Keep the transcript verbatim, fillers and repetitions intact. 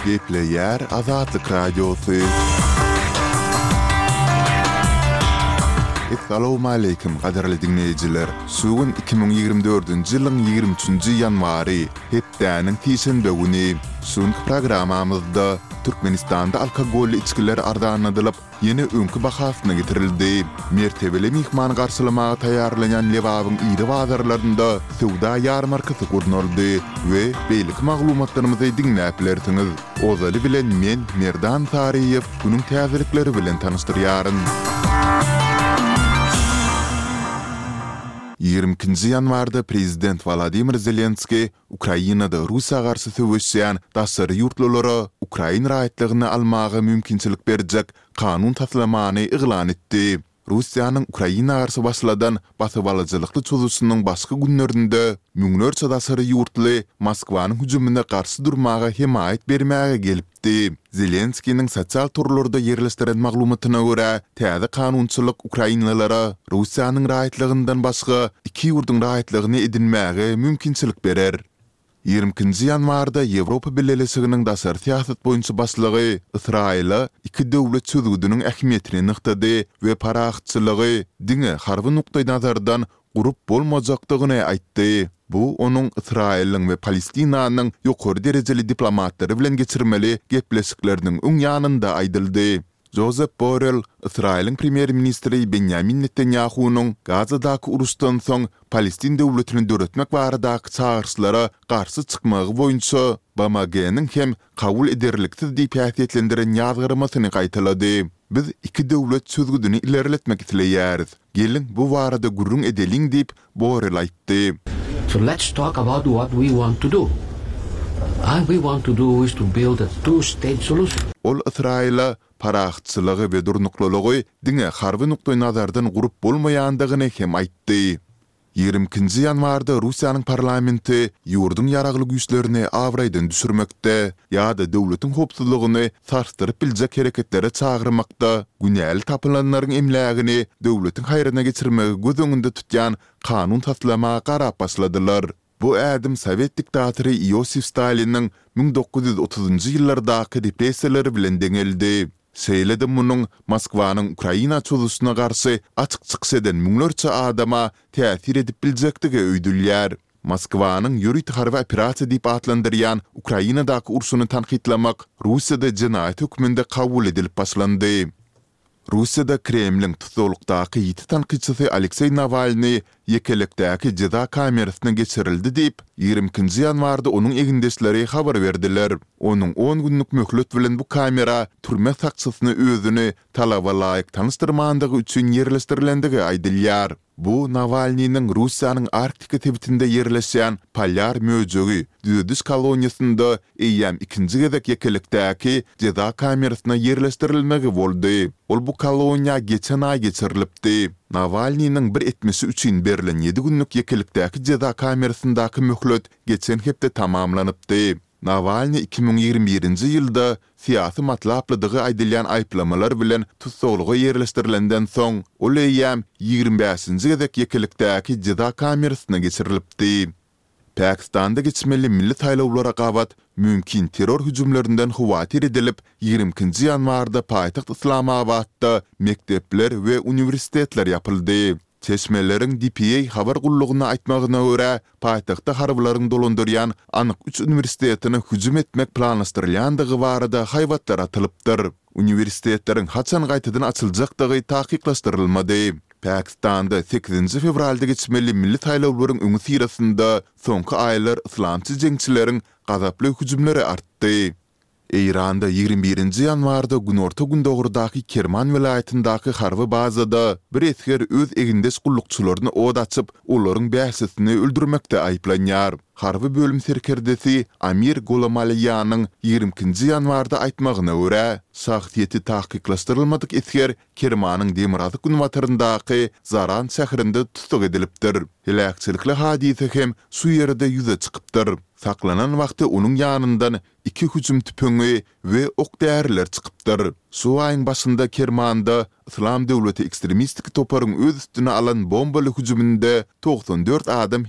Gepleýär Azatlyk Radiosy. Essalawmaleýkim gadyrly diňleýjiler! Şu gün iki müň ýigrimi dördünji ýylyň ýigrimi üçünji ýanwary, hepdäniň sişenbe güni. Şu günki programmamyzda Türkmenistanda alkogolly içgiler arzanladylyp, ýene öňki bahasyna getirildi. Mertebeli myhmany garşylamaga taýýarlanýan Lebabyň iri bazarlarynda söwda ýarmarkasy gurnaldy we beýleki maglumatlarymyzy diňläp bilersiňiz. Ozaly bilen men, Merdan Saryýew, günüň täzelikleri bilen tanyşdyrýaryn. Ýigrimi ikinji ýanwarda prezident Wolodymyr Zelenskiý Ukrainada Russiýa garşy söweşýän daşary ýurtlulara ukrain raýatlygyny almaga mümkinçilik berjek kanun taslamany yglan etdi. Russiýanyň Ukraina garşy başladan basybalyjylykly çozuşynyň başky günlerinde müňlerçe daşary ýurtly Moskwanyň hüjümine garşy durmaga hemaýat bermäge gelipdi. Zelenskiniň sosial torlarda ýerleşdiren maglumatyna görä, täze kanunçylyk ukrainlylara Russiýanyň raýatlygyndan başga iki ýurduň raýatlygyny edinmäge mümkinçilik berer. Ýigrimi ikinji ýanwarda Ýewropa Bileleşiginiň daşary syýasat boýunça başlygy Ysraýyla iki döwlet çözgüdiniň ähmiýetini nygtady we parahatçylygy diňe harby nukdaýnazardan gurup bolmajakdygyny aýtdy. Bu onuň Ysraýylyň we Palestinanyň ýokary derejeli diplomatlary bilen geçirmeli gepleşikleriniň öň ýanynda aýdyldy. Jozep Borrell Ysraýylyň premýer-ministri Benýamin Netanýahunyň Gazadaky uruşdan soň Palestin döwletini döretmek baradaky çagyryşlara garşy çykmagy boýunça BMG-niň hem kabul ederliksiz diýip häsiýetlendiren ýazgarmasyny gaýtalady. Biz iki döwlet çözgüdini ilerletmek isleýäris. Geliň, bu barada gürrüň edeliň diýip, Borrell aýtdy. So let's talk about what we want to do. And we want to do is to build a two state solution. Ol Ysraýyla parahatçylygy we durnuklylygy diňe harby nukdaýnazardan gurup bolmaýandygyny hem aýtdy. Ýigrimi ikinji ýanwarda Russiýanyň parlamenti ýurduň ýaragly güýçlerini abraýdan düşürmekde ýa-da döwletiň howpsuzlygyny sarsdyryp biljek hereketlere çagyrmakda günäli tapylanlaryň emlägini döwletiň haýryna geçirmegi göz öňünde tutýan kanun taslama garap başladylar. Bu ädim sowet diktatory Iosif Staliniň müň dokuz ýüz otuzynjy ýyllardaky repressiýalary bilen deňeldi. Şeýle-de munuň Moskwanyň Ukraina çozuşyna garşy açyk çykyş eden müňlerçe adama täsir edip biljekdigi öýdülýär. Moskwanyň ýörite harby operasiýa diýip atlandyrýan Ukrainadaky urşuny tankytlamak Russiýada jenaýat hökmünde kabul edilip başlandy. Russiýada Kremliň tussaglykdaky ýiti tankytçysy Alekseý Nawalnyý ýekelikdäki jeza kamerasyna geçirildi diýip, ýigrimi ikinji ýanwarda onuň egindeşleri habar berdiler. Onuň on günlük möhlet bilen bu kamera türme sakçysyna özüni talaba laýyk tanyşdyrmandygy üçin ýerleşdirilendigi aýdylýar. Bu Nawalnynyň Russiýanyň Arktika sebitinde ýerleşýän Polýar möjegi düzediş koloniýasynda eýýäm ikinji gezek ýekelikdäki jeza kamerasyna ýerleşdirilmegi boldy. Ol bu koloniýa geçen aý geçirilipdi. Nawalnynyň bir etmişi üçin berlen ýedi günlük ýekelikdäki jeza kamerasyndaky möhlet geçen hepde tamamlanypdy. Nawalnyý iki müň ýigrimi birinji ýylda syýasy matlaplydygy aýdylýan aýyplamalar bilen tussaglyga ýerleşdirilenden soň, ol eýýäm ýigrimi bäşinji gezek ýekelikdäki jeza kamerasyna geçirilipdi. Pakistanda geçmeli milli saýlawlara gabat mümkin terror hüjümlerinden howatyr edilip, ýigrimi ikinji ýanwarda paýtagt Yslamabatda mekdepler we uniwersitetler ýapyldy. Çeşmeleriň DPA habar gullugyna aýtmagyna görä, paýtagtda harbylaryň dolandyrýan anyk üç uniwersitetine hüjüm etmek planlaşdyrylýandygy barada haýbatlar atylypdyr. Uniwersitetleriň haçan gaýtadan açyljakdygy takyklaşdyrylmady. Pakistanda sekizinji fewralda geçmeli milli saýlawlaryň öňüsyrasynda soňky aýlar yslamçy jeňçileriň gazaply hüjümleri artdy. Eýranda ýigrimi birinji ýanwarda günorta-gündogardaky Kerman welaýatyndaky harby bazada bir esger öz egindeş gullukçylaryna ot açyp, olaryň bäşisini öldürmekde aýyplanýar. Harby bölüm serkerdesi Amir Golamaliýanyň ýigrimi ikinji ýanwarda aýtmagyna görä, şahsyýeti takyklaşdyrylmadyk esger Kermanyň demirgazyk-günbataryndaky Zaran şäherinde tussag edilipdir. Heläkçilikli hadysa hem şu ýerde ýüze çykypdyr. Saklanan wagty onuň ýanyndan iki hüjüm tüpeňi we ok-däriler çykypdyr. Şu aýyň başynda Kermanda Yslam döwleti ekstremistik toparyň öz üstüne alan bombaly hüjüminde togsan dört adam